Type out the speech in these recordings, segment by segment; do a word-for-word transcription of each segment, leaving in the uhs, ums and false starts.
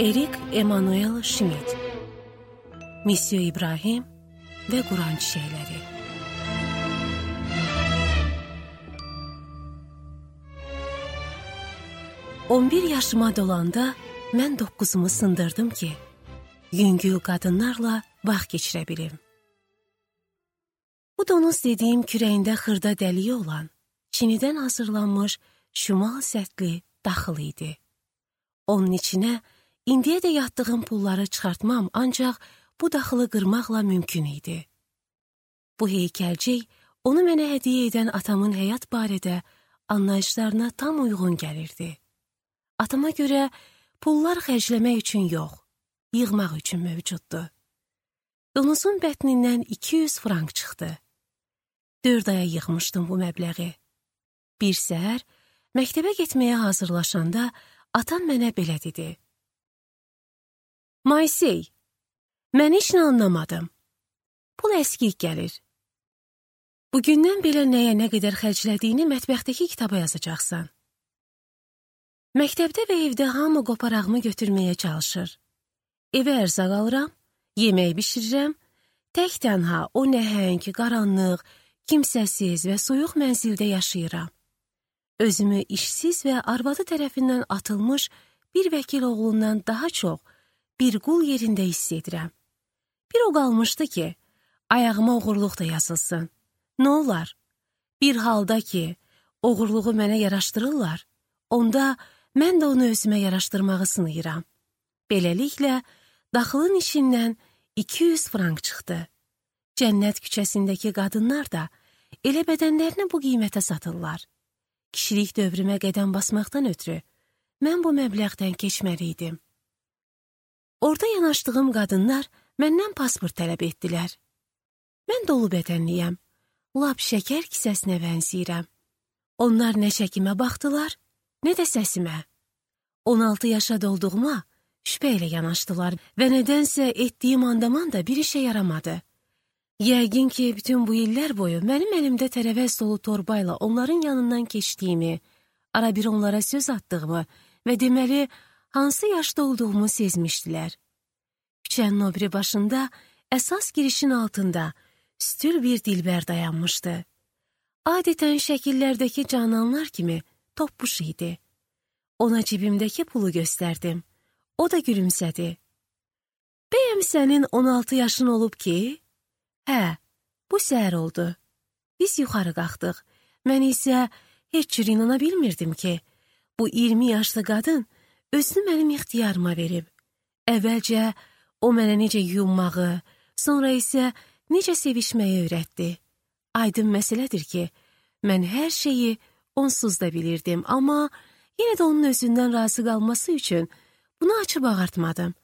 Erik Emanuel Schmidt, Misyo İbrahim ve Kur'an Çiçekleri. on bir yaşıma dolanda mən dokkuzumu sındırdım ki, yüngül qadınlarla vaxt geçirə bilim. Bu donuz dediyim kürəyində xırda dəliyi olan, Çinidən hazırlanmış şimal sətli daxıl idi. Onun içinə indiyə də yatdığım pulları çıxartmam, ancaq bu daxılı qırmaqla mümkün idi. Bu heykəlcik onu mənə hədiyyə edən atamın həyat barədə anlayışlarına tam uyğun gəlirdi. Atama görə pullar xərcləmək üçün yox, yığmaq üçün mövcuddu. Donuzun bətnindən iki yüz frank çıxdı. Dörd aya yığmışdım bu məbləği. Bir səhər məktəbə getməyə hazırlaşanda atam mənə belə dedi. Maysey, mən heç nə anlamadım. Pul əskik gəlir. Bugündən belə nəyə nə qədər xərclədiyini mətbəxdəki kitaba yazacaqsan. Məktəbdə və evdə hamı qoparağımı götürməyə çalışır. Evə ərzaq alıram, yemək bişirirəm, tək tənha o nəhəng, qaranlıq, kimsəsiz və soyuq mənzildə yaşayıram. Özümü işsiz və arvadı tərəfindən atılmış bir vəkil oğlundan daha çox bir qul yerində hiss edirəm. Bir o qalmışdı ki, ayağıma oğurluq da yazılsın. Nə olar? Bir halda ki, oğurluğu mənə yaraşdırırlar, onda mən də onu özümə yaraşdırmağı sınayıram. Beləliklə, daxılın içindən iki yüz frank çıxdı. Cənnət küçəsindəki qadınlar da elə bədənlərini bu qiymətə satırlar. Kişilik dövrümə qədəm basmaqdan ötürü mən bu məbləğdən keçməliydim. Orada yanaşdığım qadınlar məndən pasport tələb etdilər. Mən dolu bədənliyəm, lap şəkər kisəsinə bənzəyirəm. Onlar nə şəkimə baxdılar, nə də səsimə. on altı yaşa dolduğuma şübhə ilə yanaşdılar və nədənsə etdiyim andaman da bir işə yaramadı. Yəqin ki, bütün bu illər boyu mənim əlimdə tərəvəz dolu torbayla onların yanından keçdiyimi, ara bir onlara söz attığımı və deməli, hansı yaşda olduğumu sezmişdilər. Küçənin o biri başında, əsas girişin altında, üstül bir dilbər dayanmışdı. Adətən şəkillərdəki cananlar kimi toppuş idi. Ona cibimdəki pulu göstərdim. O da gülümsədi. Bəyəm sənin on altı yaşın olub ki? Hə, bu səhər oldu. Biz yuxarı qalxdıq. Mən isə heç cür inana bilmirdim ki, bu iyirmi yaşlı qadın özünü mənim ixtiyarıma verib. Əvvəlcə o mənə necə yuyunmağı, sonra isə necə sevişməyi öyrətdi. Aydın məsələdir ki, mən hər şeyi onsuz da bilirdim, amma yenə də onun özündən razı qalması üçün bunu açıb ağartmadım.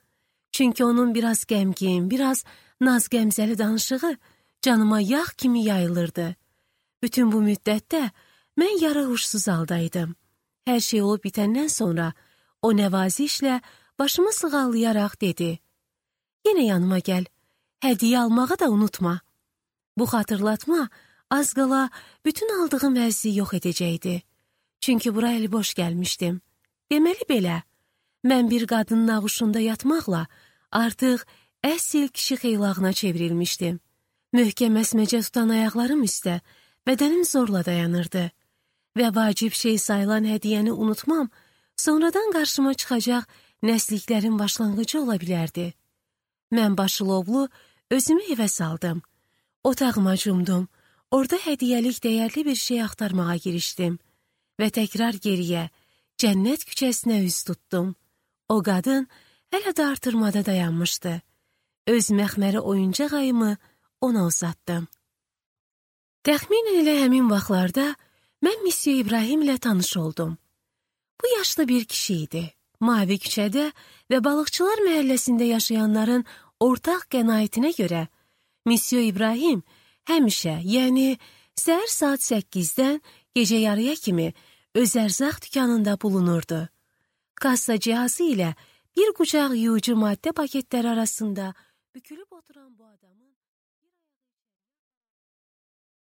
Çünki onun biraz qəmgin, biraz naz-qəmzəli danışığı canıma yağ kimi yayılırdı. Bütün bu müddətdə mən yarı huşsuz haldaydım. Hər şey olub bitəndən sonra o nəvazişlə başımı sığallayaraq dedi. Yenə yanıma gəl, hədiyyə almağı da unutma. Bu xatırlatma az qala bütün aldığım həzzi yox edəcəkdi. Çünki bura əli boş gəlmişdim. Deməli belə, mən bir qadının ağuşunda yatmaqla artıq əsl kişi xeylağına çevrilmişdim. Möhkəm əsməcə tutan ayaqlarım üstə, bədənim zorla dayanırdı. Və vacib şey sayılan hədiyyəni unutmam, sonradan qarşıma çıxacaq nəsliklərin başlanğıcı ola bilərdi. Mən başılovlu özümü evə saldım. Otağıma cumdum. Orada hədiyyəlik dəyərli bir şey axtarmağa girişdim. Və təkrar geriyə, cənnət küçəsinə üz tutdum. O qadın hələ də artırmada dayanmışdı. Öz məxməri oyuncaq ayımı ona uzatdım. Təxminən elə həmin vaxtlarda mən Misyo İbrahim ilə tanış oldum. Bu yaşlı bir kişi idi. Mavi küçədə və balıqçılar məhəlləsində yaşayanların ortaq qənaətinə görə Misyo İbrahim həmişə, yəni səhər saat səkkizdən gecə yarıya kimi öz ərzaq dükanında bulunurdu. Kassa cihazı ilə bir qucaq yuyucu maddə paketləri arasında bükülüb oturan bu adamı